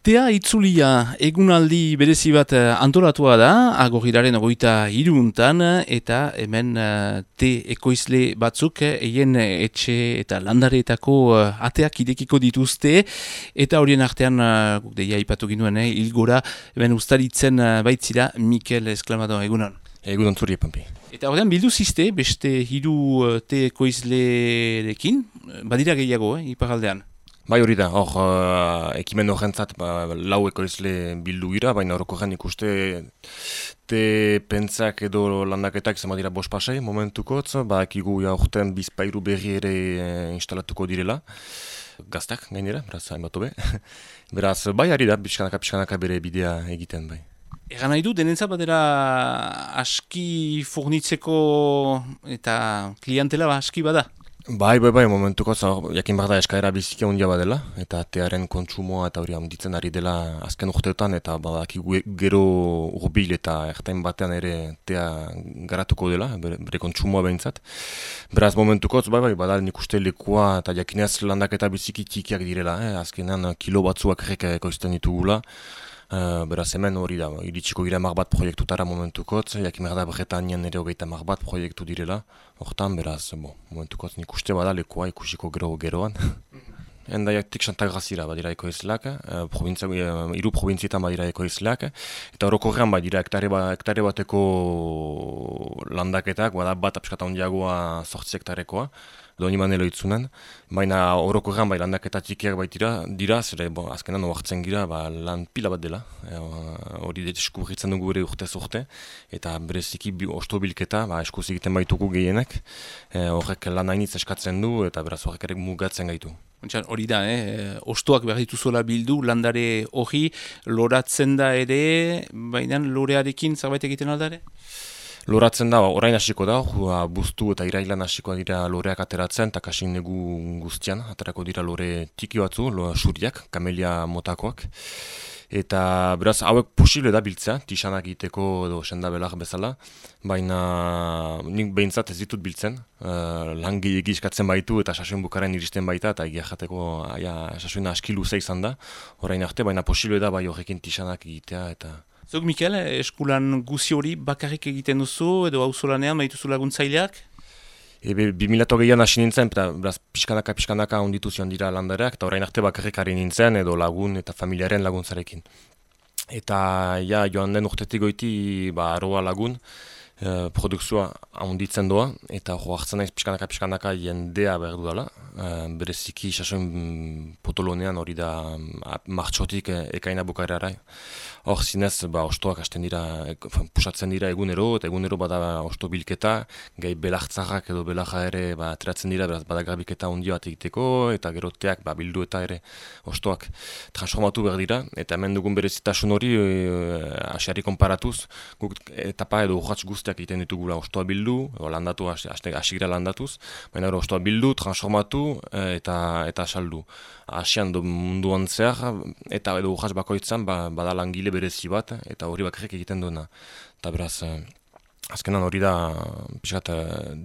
Tea itzulia egunaldi berezi bat antolatua da, Agorrilaren 23 eta hemen te ekoizle batzuk eien etxe eta landareetako ateak idekiko dituzte, eta horien artean guk deia ipatu ginuen, hilgora hemen ustaritzen baitzira Mikel Esklamado, egunon. Egunon zuri, Pampi. Eta horrean bildu ziste, beste hiru te ekoizlerekin, badira gehiago, iparaldean. Bai hori da, ekimen horrentzat lau ekoizle bildu gira, baina orokorrean ikuste te pentsak edo landaketak izan dira 5 pasai momentukotz, ekigu urten bizpairu berri ere instalatuko direla, gaztak gainera, beraz hainbat hobe. Beraz, bai ari da, pixkanaka bere bidea egiten bai. Egan nahi du, denentzat badera aski furnitzeko eta klientela aski bada? Bai, momentuko jakin behar da eskaera biziki handia badela, eta tearen kontsumoa eta hori handitzen ari dela azken urteotan, eta gero urbil eta ertain batean ere tea garatuko dela, bere kontsumoa behintzat. Beraz, momentuko bada nik uste lekua eta jakinez landaketa biziki txikiak direla, azkenean kilo batzuak ekoizten ditugula. Beraz hemen hori da, iritsiko gira 10 proiektutara momentukotz, jakin behar da Bretañan ere 30 proiektu direla, hortan beraz, momentukotz nik uste bada lekoa ikusiko geroan. Endaiatik Santagrazira badira ekoizleak, hiru probintzietan badira ekoizleak, eta orokorrean badira hektare bateko landaketak, bat apskata handiagoa 8 hektarekoa, doni manelo itzunen, baina orokorrean landaketa txikiak dira, zere azkenan oartzen gira lan pila bat dela, hori deskubritzen dugu ere urtez urte, eta bereziki ostobilketa eskuz egiten baitugu gehienek, horrek lan hainitz eskatzen du, eta beraz horrek ere mugatzen gaitu. Hori da, ostoak behar dituzuela bildu, landare hori loratzen da ere, baina lorearekin zerbait egiten aldare? Loratzen da, orain hasiko da, buztu eta irailan hasikoa dira loreak ateratzen, eta kasin negu guztian, aterako dira lore tiki batzu, suriak, kamelia motakoak. Eta beraz, hauek posible da biltzea, tixanak egiteko edo sendabelak bezala, baina nik behintzat ez ditut biltzen, lan gehiagi eskatzen baitu eta sasoin bukaren iristen baita, eta egia jateko sasoina aski luze izan da, orain arte, baina posible da bai horrekin tixanak egitea eta... Zuk, Mikel, eskulan guzi hori bakarrik egiten duzu edo auzolanean baituzu laguntzaileak? 2008an hasi nintzen, beraz pixkanaka onditu zion dira landareak, eta orain arte bakarrik ari nintzen edo lagun eta familiaren laguntzarekin. Eta joan den urtetik goiti aroa lagun, produkzioa onditzen doa, eta hartzen naiz pixkanaka jendea behar duela. Bereziki sasoin potolonean hori da martxotik ekaina bukaerara. Hor zinez, ostoak hasten dira, pusatzen dira egunero, eta egunero bada osto bilketa, gai belartzarrak edo belarra ere ateratzen dira, beraz bada garbiketa ondio bat egiteko, eta gero teak bildu eta ere ostoak transformatu behar dira, eta hemen dugun berezitasun hori asiari konparatuz, guk etapa edo urratz guztiak egiten ditugula ostoa bildu, landatu, asigira landatuz, baina ostoa bildu, transformatu eta saldu. Asian munduan zehar, eta edo urratz bakoitzan bada langile berezi bat, eta hori bakarrik egiten duena. Eta beraz, azkenan hori da pixkat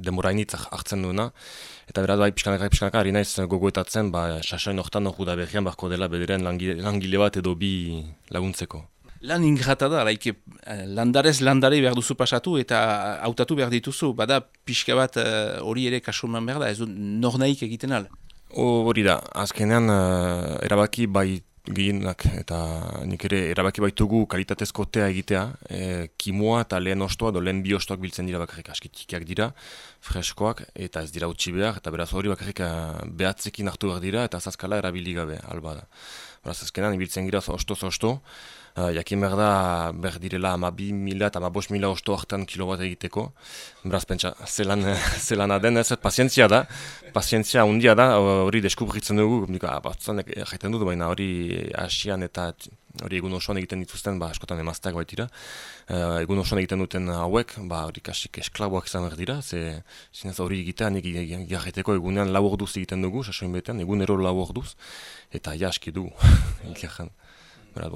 denborainitz hartzen duena, eta beraz pixkanaka ari naiz gogoetatzen, sasoin hortan hori da berrian barko dela bederen langile bat edo bi laguntzeko. Lan ingrata da, landarez landare behar duzu pasatu eta hautatu behar dituzu, bada pixka bat hori ere kasuman behar da, ez du nornaik egiten al? Hori da, azkenean erabaki bai gehienak eta nik ere erabaki baitugu kalitatezko tea egitea, kimoa eta lehen ostoa edo lehen bi ostoak biltzen dira bakarrik aski txikiak dira, freskoak eta ez dira utzi behar, eta beraz hori bakarrik behatzekin hartu behar dira eta azazkala erabili gabe alba da. Beraz azkenan ibiltzen gira osto, jakin behar da behar direla 12.000 eta 15.000 osto hartan kilo bat egiteko. Beraz pentsa, zelan aden ez, pazientzia handia da, hori deskubritzen dugu, batzutan jaiten dut, baina hori asian eta hori egun osoan egiten dituzten, askotan emazteak baitira. Egun osoan egiten duten hauek, hori kasik esklaboak izan behar dira, zinez hori egitea, nik jarreteko egunean 4 orduz egiten dugu, sasoin betean, egunero 4 orduz, eta aski dugu,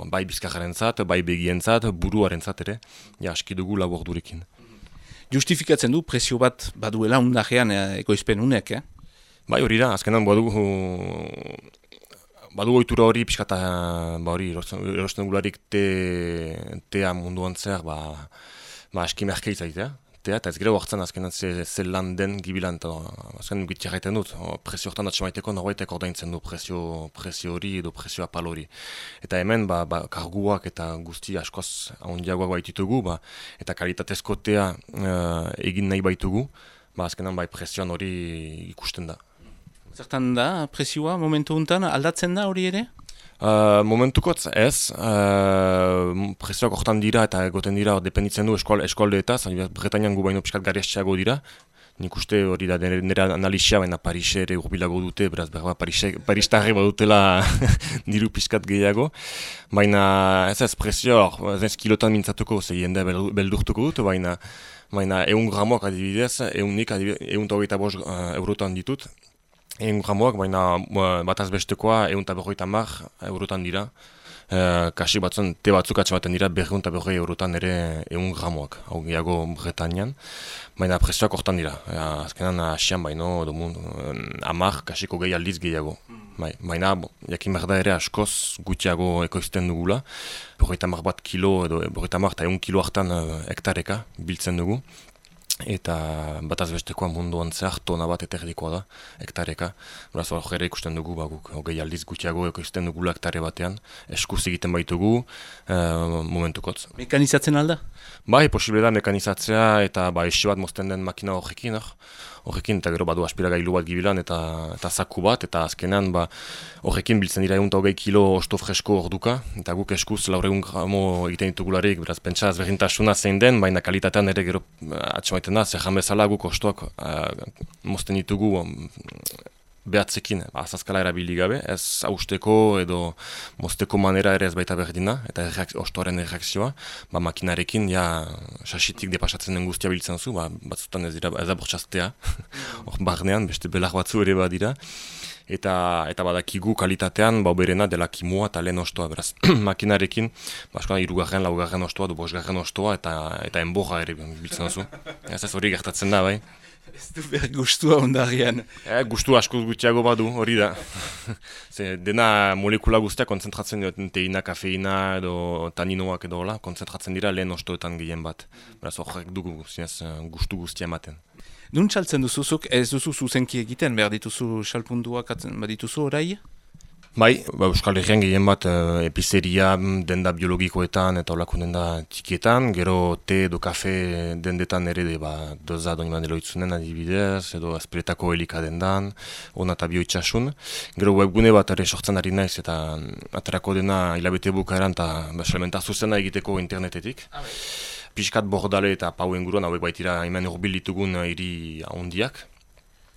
bai bizkarrentzat, bai begientzat, buruarentzat ere, aski dugu 4 ordurekin. Justifikatzen du prezio bat baduela undajean ekoizpen unek, Bai hori da, azkenan badugu badu ohitura hori pixkata, hori erosten dugularik tea munduan zer, aski merke izaitea. Eta ez gero hartzen azkenan ze lan den gibilan, eta azkenan gitia gaiten dut, presio hortan atxemaiteko norbaitek ordaintzen du presio hori edo presio apal hori. Eta hemen karguak eta guzti askoz handiagoak baititugu, eta kalitatezko tea egin nahi baitugu, azkenan presioan hori ikusten da. Zertan da, presioa momentu honetan aldatzen da hori ere? Momentukotz ez, presioak hortan dira eta egoten dira dependitzen du eskualdeetaz, Bretañan gu baino piskat garestiago dira. Nik uste hori da nire analisia, baina Parise ere urbilago dute, beraz Paristarri badutela diru piskat gehiago. Baina ez presio, ez kilotan mintzatuko, ze jende beldurtuko dut, baina 100 gramoak adibidez, 125 eurotan ditut. 100 gramoak, baina bataz bestekoa 150 eurotan dira. Kasi batzun, te batzuk atxematen dira 250 eurotan ere 100 gramoak, hau gehiago Bretañan. Baina presioak hortan dira, azkenan asian baino, kasiko gehi aldiz gehiago. Baina, jakin behar da ere askoz gutxiago ekoizten dugula. 50 bat kilo edo 50 eta 1 kilo hartan hektareka biltzen dugu. Eta bataz bestekoa munduan zehar tona bat eterdikoa da, hektareka. Beraz, hor ere ikusten dugu, guk hogei aldiz gutxiago ekoizten dugula hektare batean, eskuz egiten baitugu momentukotz. Mekanizatzen alda? Posible da mekanizatzea eta esi bat mozten den makina horrekin, eta gero badu aspiragailu bat gibilan eta zaku bat, eta azkenean horrekin biltzen dira 120 kilo osto fresko orduka, eta guk eskuz 400 gramo egiten ditugularik, beraz, pentsa ezberdintasuna zein den, baina kalitatean ere gero atxemaiten da, zerran bezala guk ostoak mozten ditugu behatzekin, azazkala erabili gabe, ez hausteko edo mozteko manera ere ez baita berdina, eta ostoaren erreakzioa, makinarekin, sasitik depasatzen den guztia biltzen zu, batzutan ez da bortxaztea, hor barnean, beste belar batzu ere badira, eta badakigu kalitatean, berena dela kimua eta lehen ostoa, beraz, makinarekin, askoan 3. 4. ostoa, 5. ostoa, eta enborra ere biltzen zu, ez hori gertatzen da, bai. Ez du behar gustua ondarian. Gustu askoz gutxiago badu, hori da. Dena molekula guztia konzentratzen dira, teina, kafeina edo taninoak edo hola, konzentratzen dira lehen ostoetan gehien bat. Beraz horrek dugu gustu guztia ematen. Nun txaltzen duzuzuk, ez duzu zuzenki egiten, behar dituzu xalpunduak badituzu orai? Euskal Herrian gehien bat epizeria denda biologikoetan eta olako denda txikietan, gero te edo kafe dendetan ere doza doniman eloitzunen adibidez, edo azpiretako helika dendan, ona eta bioitxasun. Gero webgune bat ere sortzen ari naiz eta aterako dena hilabete bukaeran eta salmenta zuzena egiteko internetetik. Piskat bordale eta pau inguruan hauek baitira hemen urbil ditugun hiri handiak.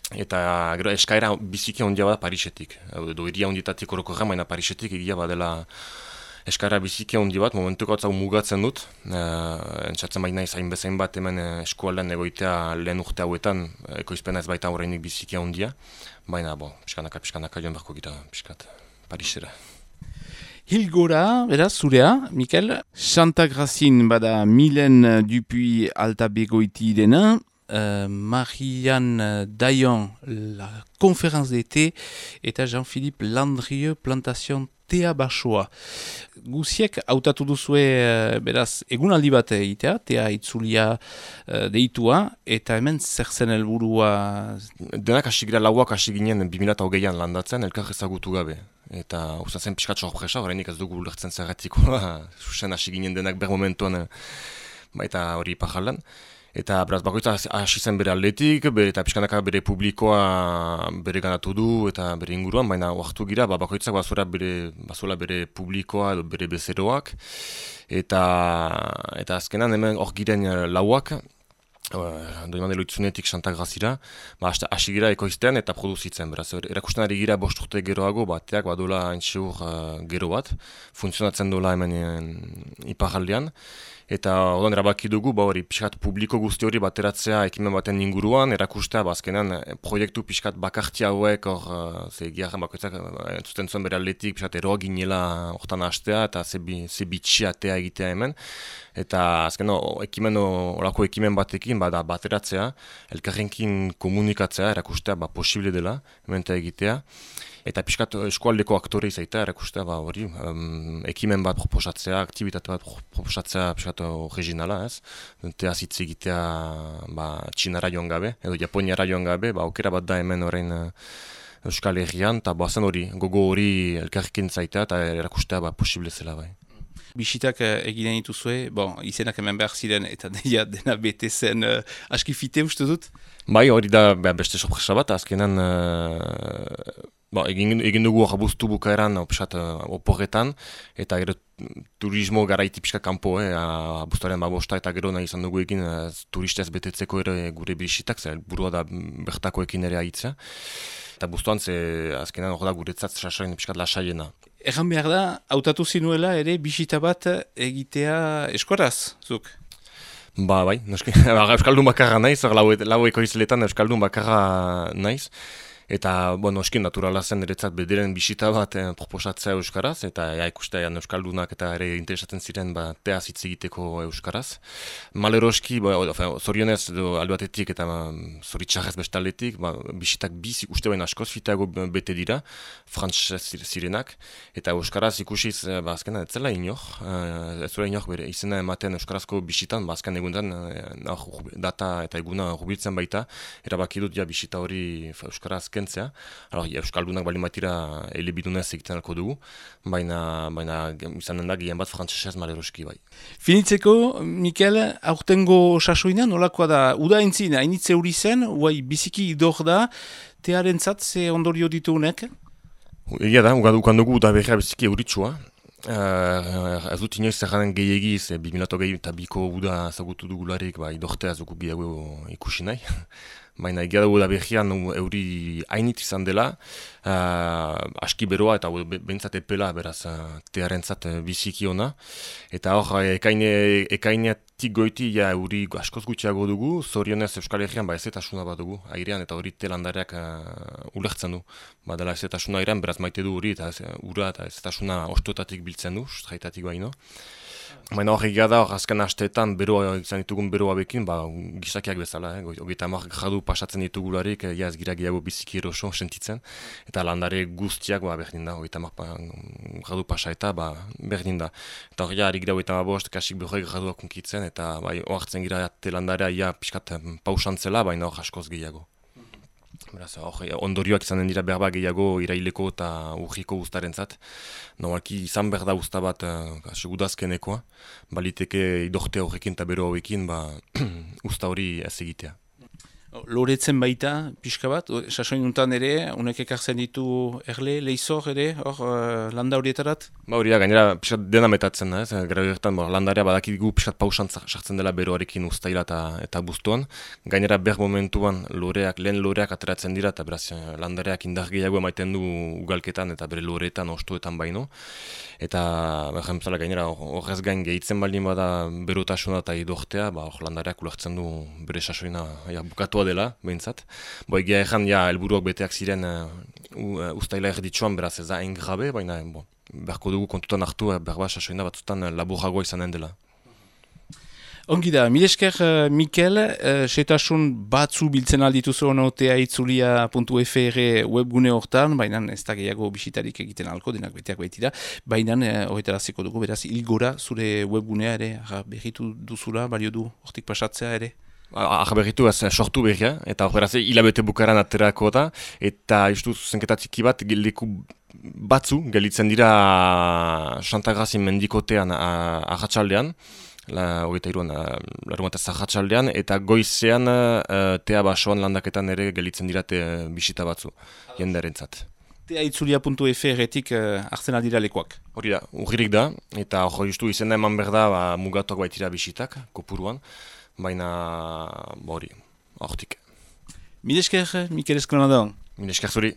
Eta gero eskaera biziki handia bada Parisetik, edo hiria handietatik orokorra, baina Parisetik egia badela eskaera biziki handi bat, momentuko hau mugatzen dut, entzatzen baina izain bezain bat hemen eskualdean egoitea lehen urte hauetan, ekoizpena ez baita horreinik biziki handia, baina pixkanaka joan beharko gira pixkat Parisera. Hilgora, beraz, zurea, Mikel, Santa Gracin bada Milen Dupuy Alta Begoiti dena, Marianne Dayan, la conférence d'été, eta Jean-Philippe Landrieux, plantation Tea Basoa. Guziek hautatu duzue, beraz, egunaldi bat egitea, tea itzulia deitua, eta hemen zer zen helburua? Denak hasi gira lauak hasi ginen 2008an landatzen, elkar ezagutu gabe. Eta usatzen pixkat sorpresa, horreinik ez dugu ulertzen zerratikoa, susen hasi ginen denak ber momentuan, baita hori pajalan. Eta beraz, bakoitza hasi zen bere aldetik, eta pixkanaka bere publikoa bere ganatu du eta bere inguruan, baina oartu gira, bakoitzak bazuela bere publikoa edo bere bezeroak. Eta azkenan hemen hor giren lauak, doiman eloitzunetik Santa Grazira, hasi gira ekoizten eta produzitzen. Beraz, erakusten ari gira 5 urte geroago, bateak badola haintzeur gero bat, funtzionatzen dola hemen iparraldean. Eta odan erabaki dugu, hori pixkat publiko guzti hori bateratzea ekimen baten inguruan, erakustea azkenan proiektu pixkat bakarti hauek, giarren bakoitzak entzuten zuen bere aldetik, pixkat eroa ginela hortan hastea eta ze bitxiatea egitea hemen. Eta azken olako ekimen batekin bateratzea, elkarrenkin komunikatzea, erakustea posible dela, hemen egitea. eta pixkat eskualdeko aktore izaita, erakustea, hori, ekimen bat proposatzea, aktibitate bat proposatzea pixkat originala, ez? Teaz hitz egitea Txinara joan gabe, edo Japoniara joan gabe, aukera bat da hemen orain Euskal Herrian, eta zen hori, gogo hori elkarrekin zaitea, eta erakustea posible zela bai. Bisitak eginen dituzue, izenak hemen behar ziren eta dena bete zen aski fite uste dut? Bai, hori da beste sorpresa bat, azkenan egin dugu abuztu bukaeran oporretan, eta gero turismo garaiti pixka kanpo, abuztuaren bosta, eta gero nahi izan dugu egin turistez betetzeko ere gure bisitak, burua da bertakoekin ere aitzea. Eta buztuan azkenan hor da guretzat sasoin pixkat lasaiena. Egan behar da, hautatu zinuela ere bisita bat egitea eskoraz, zuk? Bai, Euskaldun bakarra naiz, lau ekoizletan Euskaldun bakarra naiz. Eta, noski naturala zen eretzat bederen bisita bat proposatzea euskaraz, eta ikustean euskaldunak eta ere interesatzen ziren teaz hitz egiteko euskaraz. Maleroski, zorionez albatetik eta zoritxarrez bestaletik, bisitak bizi uste baina askoz fiteago bete dira, frantzez zirenak, eta euskaraz ikusiz, azkena ez zela inor, ez zela inor bere izena ematen euskarazko bisitan, azken egundan data eta eguna rubiltzen baita, erabaki dut bisita hori euskaraz kentzea. Euskaldunak bali matira elebidunez egiten alko dugu, baina izanen da gehien bat frantzesez maleroski bai. Finitzeko, Mikel, aurtengo sasoina nolakoa da? Uda entzin, hainitze hori zen, biziki idor da, tearentzat ze ondorio dituunek? Egia da, ukan dugu uda berria biziki euritsua. Ez dut inoiz zerranen gehiagiz, 2008 eta biko uda zagutu dugularik, idortea zuku gehiago ikusi nahi. Baina egia dugu da berrian euri hainit izan dela, aski beroa eta behintzat epela beraz tearentzat biziki ona. Eta hor, ekainetik goiti euri askoz gutxiago dugu, zorionez Euskal Herrian ezetasuna bat dugu, airean eta hori telandareak ulertzen du. Badela ezetasuna airean, beraz maite du hori eta ura eta ezetasuna ostoetatik biltzen du, straitatik baino. Baina hor egia da, azken asteetan izan ditugun beroa bekin, gizakiak bezala, 30 gradu pasatzen ditugularik, ez gira gehiago biziki eroso sentitzen, eta landare guztiak berdin da, 30 gradu pasa eta berdin da. Eta hori harik da 35, kasik 40 graduak unkitzen, eta oartzen gira landarea pixkat pausantzela, baina hor askoz gehiago. Ondorioak izanen dira berba gehiago iraileko eta urriko guztarentzat. Normalki izan behar da usta bat udazkenekoa, baliteke idortea horrekin eta bero horrekin usta hori ez egitea. Loretzen baita, pixka bat, sasoin untan ere, unek ekartzen ditu erle, leizor ere, landa horietarat? Hori da, gainera pixkat dena metatzen da, grabertan landarea badakigu pixkat pausan sartzen dela beroarekin ustaila eta buztuan. Gainera ber momentuan lehen loreak ateratzen dira, eta beraz landareak indar gehiago emaiten du ugalketan eta bere loreetan, ostoetan baino. Eta gainera horrez gain gehitzen baldin bada berotasuna eta idortea, landareak ulertzen du bere sasoina bukatua dela, behintzat. Egia ezan, helburuak beteak ziren ustaila erditsuan, beraz ez da hain grabe, baina beharko dugu kontutan hartu, berba sasoina batzutan laburragoa izanen dela. Ongi da, mil esker, Mikel, setasun batzu biltzen aldituzu ono teaitzulia.fr webgune hortan, baina ez da gehiago bisitarik egiten alko, denak beteak baitira, baina horretaraziko dugu, beraz, ilgora zure webgunea ere, berritu duzula, balio du hortik pasatzea ere? Berritu sortu berria, eta horretaz hilabete bukaran aterako da, eta justu zuzenketatiki bat leku batzu gelitzen dira Santagrazin mendikotean ahatsaldean, larumataz ahatsaldean, eta goizean tea basoan landaketan ere gelitzen dira bisita batzu, jendearentzat. Teaitzulia.fr-etik hartzen aldira lekuak. Hori da, urririk da, eta hori justu izena eman behar da mugatuak baitira bisitak, kopuruan, baina hori, hortik. Mil esker, Mikel Esklonadon. Mil esker zuri.